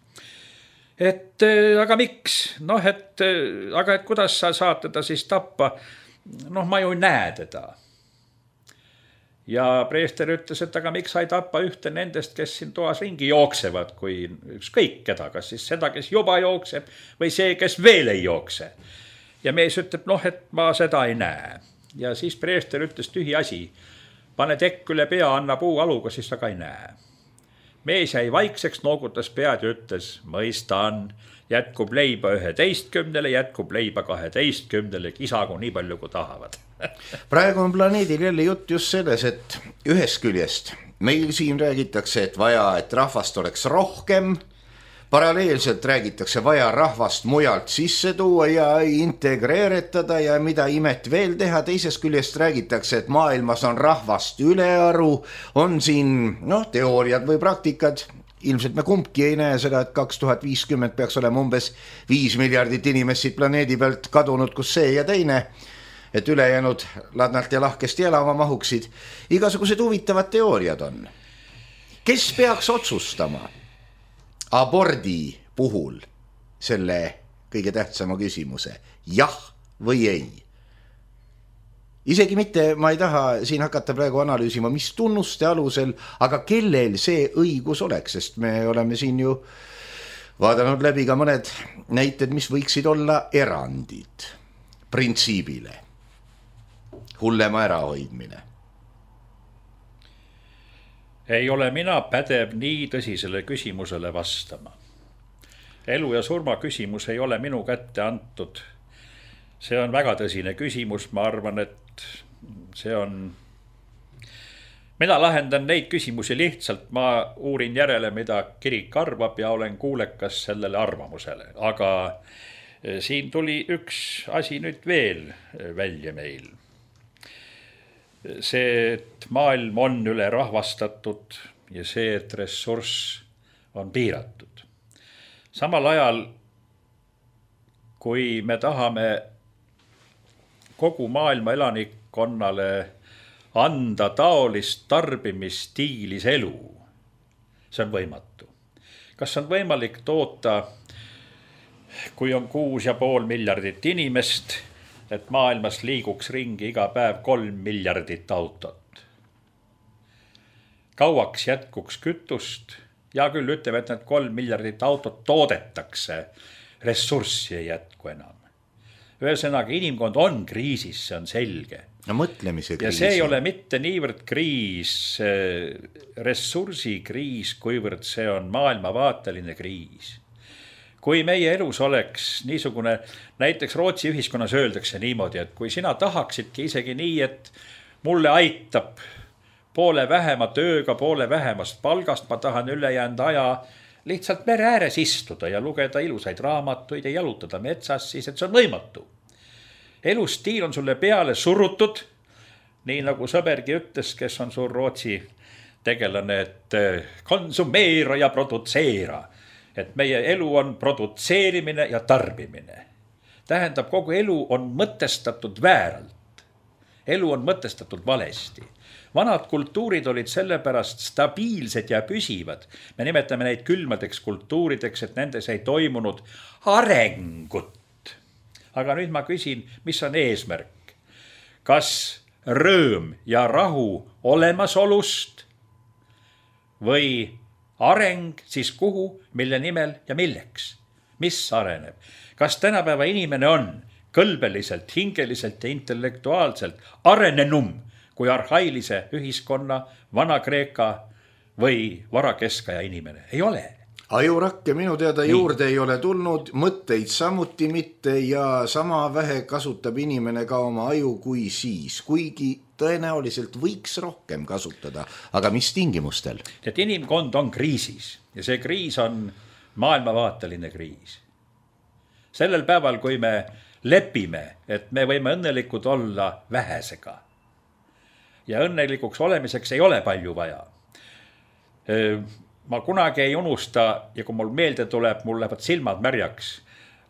Speaker 2: Et aga miks? Aga et kuidas sa saad teda siis tappa? Ma ju näe teda. Ja preester ütles, et aga miks sa ei tappa ühte nendest, kes siin toas ringi jooksevad, kui ükskõik keda, kas siis seda, kes juba jookseb või see, kes veel ei jookse. Ja mees ütleb, et ma seda ei näe. Ja siis preester ütles tühi asi. Pane tekk üle pea, anna puu aluga, siis sa ka ei näe. Mees jäi vaikseks, noogutas pead ja ütles, mõistan, jätkub leiba 11, jätkub leiba 12, kisagu nii palju, kui tahavad.
Speaker 1: Praegu on planeedil jälle jutt just selles, et ühest küljest meil siin räägitakse, et vaja, et rahvast oleks rohkem, paralleelselt räägitakse vaja rahvast mujalt sisse tuua ja integreeretada ja mida imet veel teha. Teisest küljest räägitakse, et maailmas on rahvast ülearu, on siin teooriad või praktikad. Ilmselt me kumbki ei näe seda, et 2050 peaks olema umbes 5 miljardit inimest siit planeedi pealt kadunud, kus see ja teine, et ülejäänud ladnalt ja lahkesti elama mahuksid. Igasugused huvitavad teooriad on. Kes peaks otsustama? abordi puhul selle kõige tähtsama küsimuse, jah või ei. Isegi mitte, ma ei taha siin hakata praegu analüüsima, mis tunnuste alusel, aga kellel see õigus oleks, sest me oleme siin ju vaadanud läbi ka mõned näited, mis võiksid olla erandid printsiibile. Hullema ärahoidmine.
Speaker 2: Ei ole mina pädev nii tõsisele küsimusele vastama. Elu ja surma küsimus ei ole minu kätte antud. See on väga tõsine küsimus, ma arvan, et see on... Mina lahendan neid küsimusi lihtsalt, ma uurin järele, mida kirik arvab ja olen kuulekas sellele arvamusele. Aga siin tuli üks asi nüüd veel välja meil. See, et maailm on üle rahvastatud ja see, et ressurss on piiratud. Samal ajal, kui me tahame kogu maailma elanikkonnale anda taolist tarbimisstiilis elu, see on võimatu. Kas on võimalik toota, kui on 6,5 miljardit inimest, et maailmas liiguks ringi iga päev 3 miljardit autot? Kauaks jätkuks kütust? Ja küll ütleme, et need 3 miljardit autot toodetakse, ressurssi ei jätku enam. Ühesõnaga, inimkond on kriisis, see on selge.
Speaker 1: No mõtlemise kriis.
Speaker 2: Ja see ei ole mitte niivõrd kriis, ressursikriis, kuivõrd see on maailmavaateline kriis. Kui meie elus oleks niisugune, näiteks Rootsi ühiskonnas öeldakse niimoodi, et kui sina tahaksidki isegi nii, et mulle aitab poole vähema tööga, poole vähemast palgast, ma tahan ülejäänud aja lihtsalt mere ääres istuda ja lugeda ilusaid raamatuid ja jalutada metsas, siis et see on võimatu. Elustiil on sulle peale surutud, nii nagu sõbergi ütles, kes on suur Rootsi tegelane, et konsumeera ja produtseera. Et meie elu on produtseerimine ja tarbimine. Tähendab, kogu elu on mõtestatud vääralt. Elu on mõtestatud valesti. Vanad kultuurid olid sellepärast stabiilsed ja püsivad. Me nimetame neid külmadeks kultuurideks, et nendes ei toimunud arengut. Aga nüüd ma küsin, mis on eesmärk? Kas rõõm ja rahu olemasolust või areng siis kuhu, mille nimel ja milleks? Mis areneb? Kas tänapäeva inimene on kõlbeliselt, hingeliselt ja intellektuaalselt arenenum kui arhailise ühiskonna, Vana-Kreeka või varakeskaja inimene? Ei ole.
Speaker 1: Ajurakke minu teada juurde ei ole tulnud, mõtteid samuti mitte ja sama vähe kasutab inimene ka oma aju kui siis, kuigi tõenäoliselt võiks rohkem kasutada, aga mis tingimustel?
Speaker 2: Et inimkond on kriisis ja see kriis on maailmavaateline kriis. Sellel päeval, kui me lepime, et me võime õnnelikud olla vähesega ja õnnelikuks olemiseks ei ole palju vaja. Ma kunagi ei unusta ja kui mul meelde tuleb, mul lähevad silmad märjaks.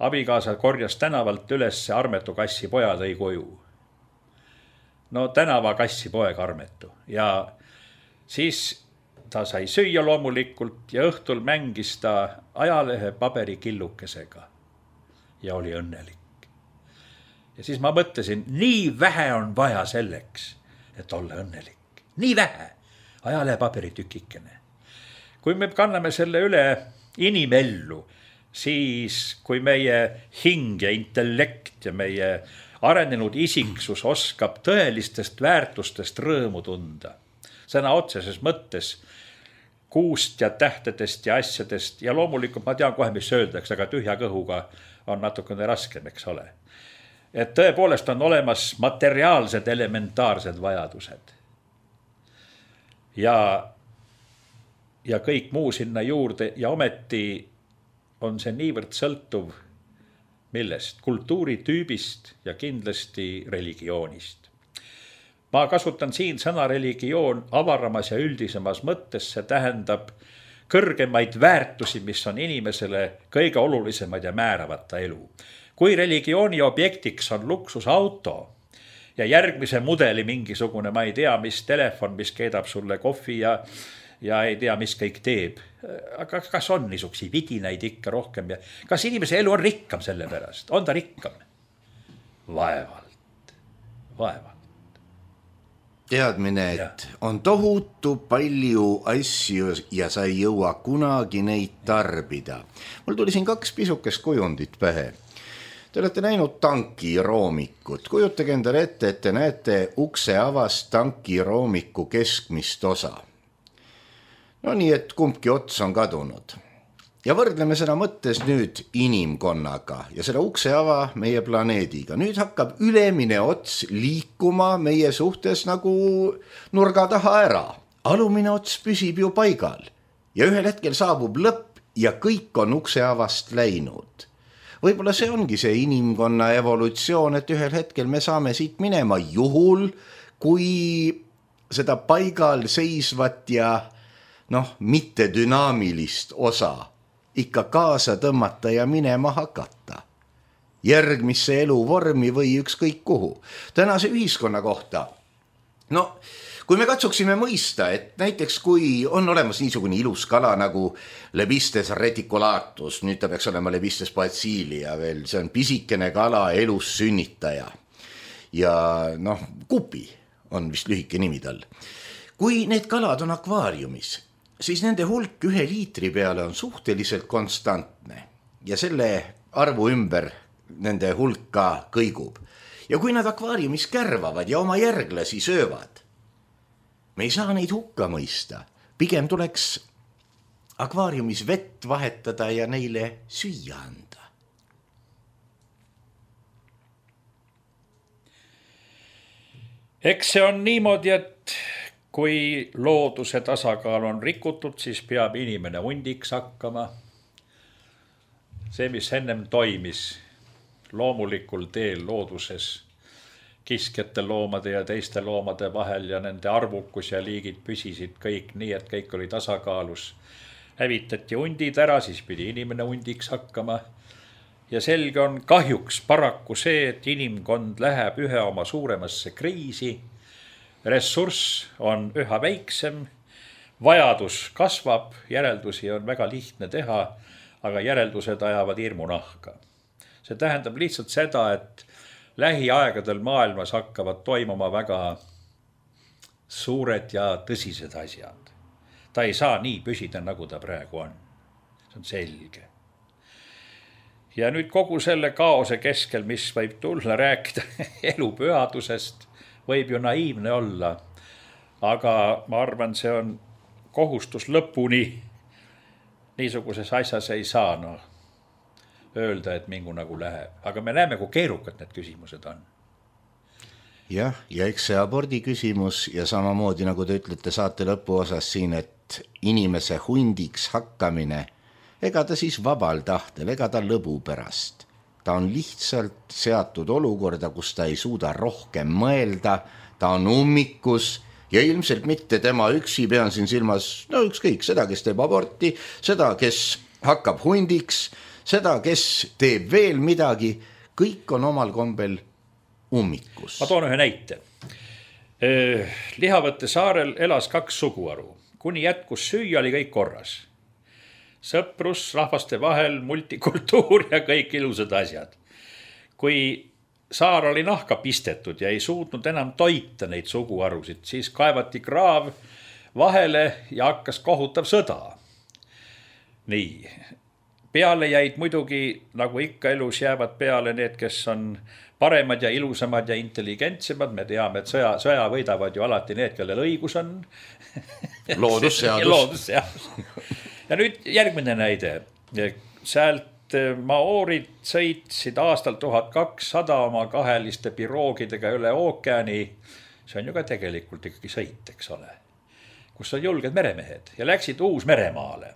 Speaker 2: Abikaasa korjas tänavalt üles Armetu kassi poja tõi koju. No tänava kassi poeg Armetu ja siis ta sai süüa loomulikult ja õhtul mängis ta ajalehe paberikillukesega ja oli õnnelik. Ja siis ma mõtlesin, nii vähe on vaja selleks, et olla õnnelik. Nii vähe ajalehe paberitükikene. Kui me kanname selle üle inimellu, siis kui meie hing ja intellekt ja meie arenenud isiksus oskab tõelistest väärtustest rõõmu tunda, sõna otseses mõttes kuust ja tähtedest ja asjadest ja loomulikult ma tean kohe, mis öeldakse, aga tühja kõhuga on natukene raskem, eks ole. Et tõepoolest on olemas materiaalsed elementaarsed vajadused. Ja kõik muu sinna juurde ja ometi on see niivõrd sõltuv millest? Kultuuritüübist ja kindlasti religioonist. Ma kasutan siin sõna religioon avaramas ja üldisemas mõttes, see tähendab kõrgemaid väärtusi, mis on inimesele kõige olulisemad ja määravata elu. Kui religiooni objektiks on luksusauto ja järgmise mudeli mingisugune, ma ei tea, mis telefon, mis keedab sulle kohvi ja ei tea, mis kõik teeb. Aga kas on niisuguseid vidinaid ikka rohkem ja kas inimese elu on rikkam selle pärast? On ta rikkam? Vaevalt.
Speaker 1: Teadmine, et on tohutu palju asju ja sa ei jõua kunagi neid tarbida. Mul tuli siin 2 pisukest kujundit pähe. Te olete näinud tankiroomikut. Kujutage endale ette, et te näete ukse avast tankiroomiku keskmist osa. No nii, et kumbki ots on kadunud. Ja võrdleme seda mõttes nüüd inimkonnaga ja seda ukse ava meie planeediga. Nüüd hakkab ülemine ots liikuma meie suhtes nagu nurga taha ära. Alumine ots püsib ju paigal ja ühel hetkel saabub lõpp ja kõik on ukse avast läinud. Võib-olla see ongi see inimkonna evolutsioon, et ühel hetkel me saame siit minema juhul, kui seda paigal seisvat ja mitte dünaamilist osa ikka kaasa tõmmata ja minema hakata. Järgmisse eluvormi või ükskõik kuhu. Tänase ühiskonna kohta. Kui me katsuksime mõista, et näiteks kui on olemas niisugune ilus kala nagu Lebistes reticulatus, nüüd ta peaks olema Lebistes bacilia veel, see on pisikene kala, elus sünnitaja. Ja kupi on vist lühike nimi tal. Kui need kalad on akvaariumis, siis nende hulk 1 liitri peale on suhteliselt konstantne ja selle arvu ümber nende hulk ka kõigub. Ja kui nad akvaariumis kärvavad ja oma järglasi söövad, me ei saa neid hukka mõista. Pigem tuleks akvaariumis vett vahetada ja neile süüa anda.
Speaker 2: Eks see on niimoodi, et kui looduse tasakaal on rikutud, siis peab inimene hundiks hakkama. See, mis ennem toimis loomulikul teel looduses, kiskjate loomade ja teiste loomade vahel ja nende arvukus ja liigid püsisid kõik nii, et kõik oli tasakaalus. Hävitati hundid ära, siis pidi inimene hundiks hakkama. Ja selge on kahjuks paraku see, et inimkond läheb ühe oma suuremasse kriisi. Ressurss on üha väiksem, vajadus kasvab, järeldusi on väga lihtne teha, aga järeldused ajavad hirmu nahka. See tähendab lihtsalt seda, et lähiaegadel maailmas hakkavad toimuma väga suured ja tõsised asjad. Ta ei saa nii püsida, nagu ta praegu on. See on selge. Ja nüüd kogu selle kaose keskel, mis võib tulla rääkida elu pühadusest, võib ju naiivne olla. Aga ma arvan, see on kohustus lõpuni. Niisuguses asjas ei saa öelda, et mingu nagu läheb. Aga me näeme, kui keerukad need küsimused on.
Speaker 1: Jah, ja eks see abordi küsimus ja samamoodi, nagu te ütlete saate lõpuosas siin, et inimese hundiks hakkamine, ega ta siis vabal tahtel, ega ta lõbu pärast. Ta on lihtsalt seatud olukorda, kus ta ei suuda rohkem mõelda, ta on ummikus ja ilmselt mitte tema üksi, pean siin silmas, ükskõik, seda, kes teeb aborti, seda, kes hakkab hundiks, seda, kes teeb veel midagi, kõik on omal kombel ummikus.
Speaker 2: Ma toon ühe näite. Lihavõtte saarel elas 2 suguharu. Kuni jätkus süüa, oli kõik korras. Sõprus, rahvaste vahel, multikultuur ja kõik ilusad asjad. Kui saar oli nahka pistetud ja ei suutnud enam toita neid suguharusid, siis kaevati kraav vahele ja hakkas kohutav sõda. Nii. Peale jäid muidugi, nagu ikka elus jäävad peale need, kes on paremad ja ilusamad ja intelligentsemad. Me teame, et sõja võidavad ju alati need, kellel õigus on.
Speaker 1: Loodusseadus.
Speaker 2: Ja nüüd järgmine näide. Sealt maoorid sõitsid aastal 1200 oma kaheliste piroogidega üle ookeani. See on ju ka tegelikult ikkagi sõit, eks ole. Kus on julged meremehed ja läksid Uus-Meremaale.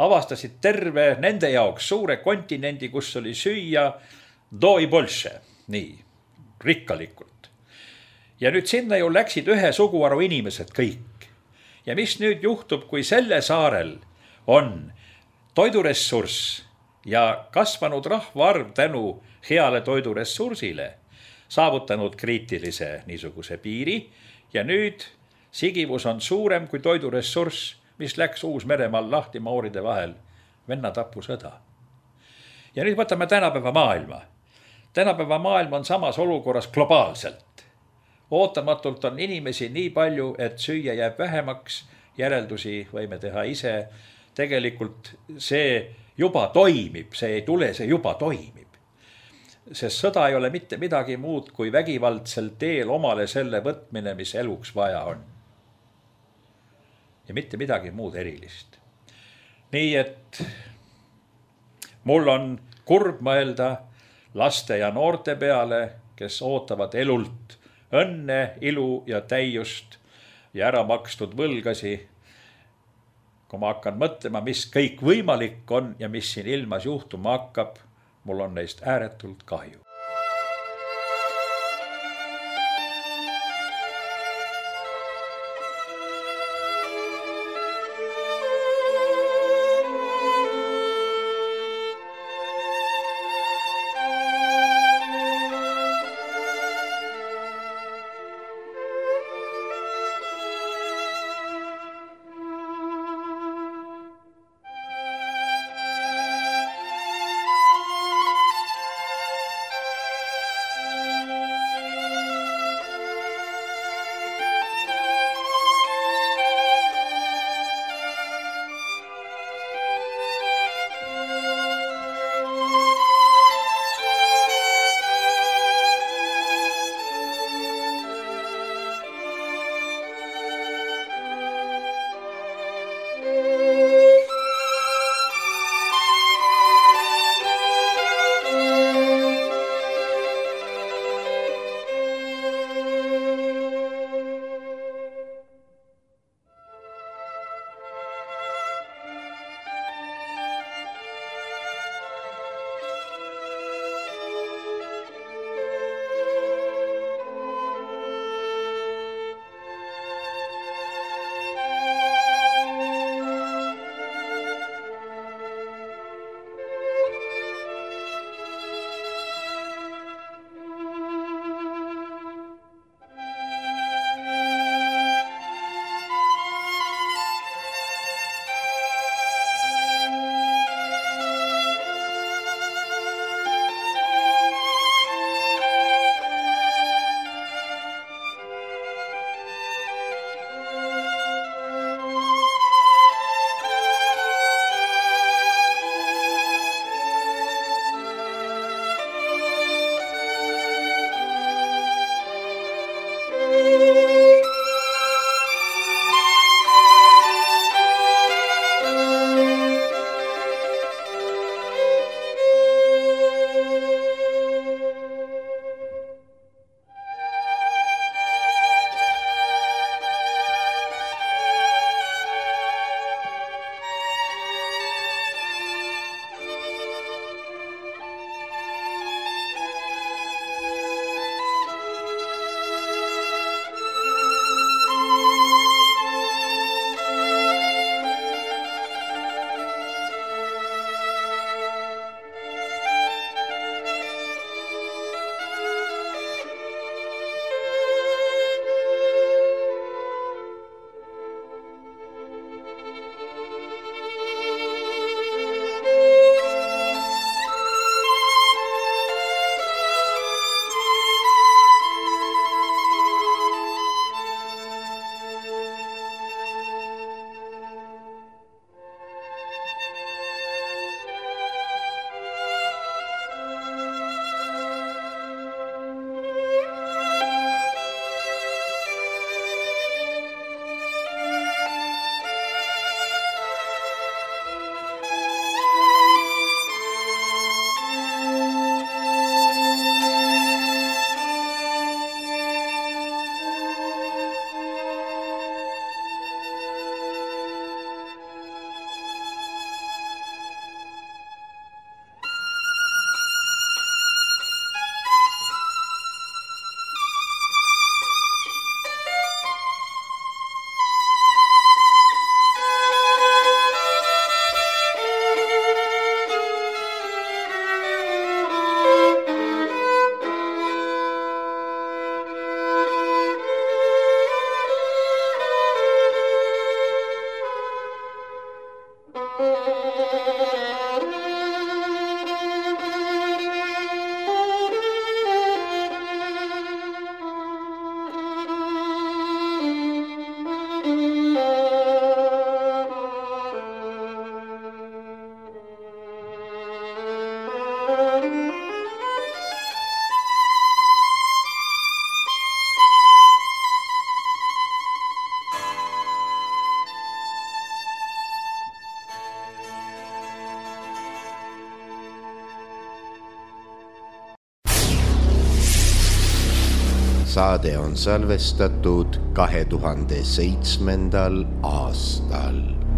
Speaker 2: Avastasid terve nende jaoks suure kontinendi, kus oli süüa doi bolše, nii, rikkalikult. Ja nüüd sinna ju läksid ühe suguharu inimesed kõik. Ja mis nüüd juhtub, kui selle saarel on toiduressurss ja kasvanud rahvaarv tänu heale toiduressursile, saavutanud kriitilise niisuguse piiri ja nüüd sigivus on suurem kui toiduressurss. mis läks Uus-Meremaal lahti mauride vahel, vennatapusõda. Ja nüüd võtame tänapäeva maailma. Tänapäeva maailm on samas olukorras globaalselt. Ootamatult on inimesi nii palju, et süüa jääb vähemaks, järeldusi võime teha ise. Tegelikult see juba toimib, see ei tule, see juba toimib. Sest sõda ei ole mitte midagi muud kui vägivaldsel teel omale selle võtmine, mis eluks vaja on. Ja mitte midagi muud erilist. Nii et mul on kurb mõelda laste ja noorte peale, kes ootavad elult õnne, ilu ja täiust ja ära makstud võlgasi. Kui ma hakkan mõtlema, mis kõik võimalik on ja mis siin ilmas juhtuma hakkab, mul on neist ääretult kahju.
Speaker 3: Saade on salvestatud 2007. aastal.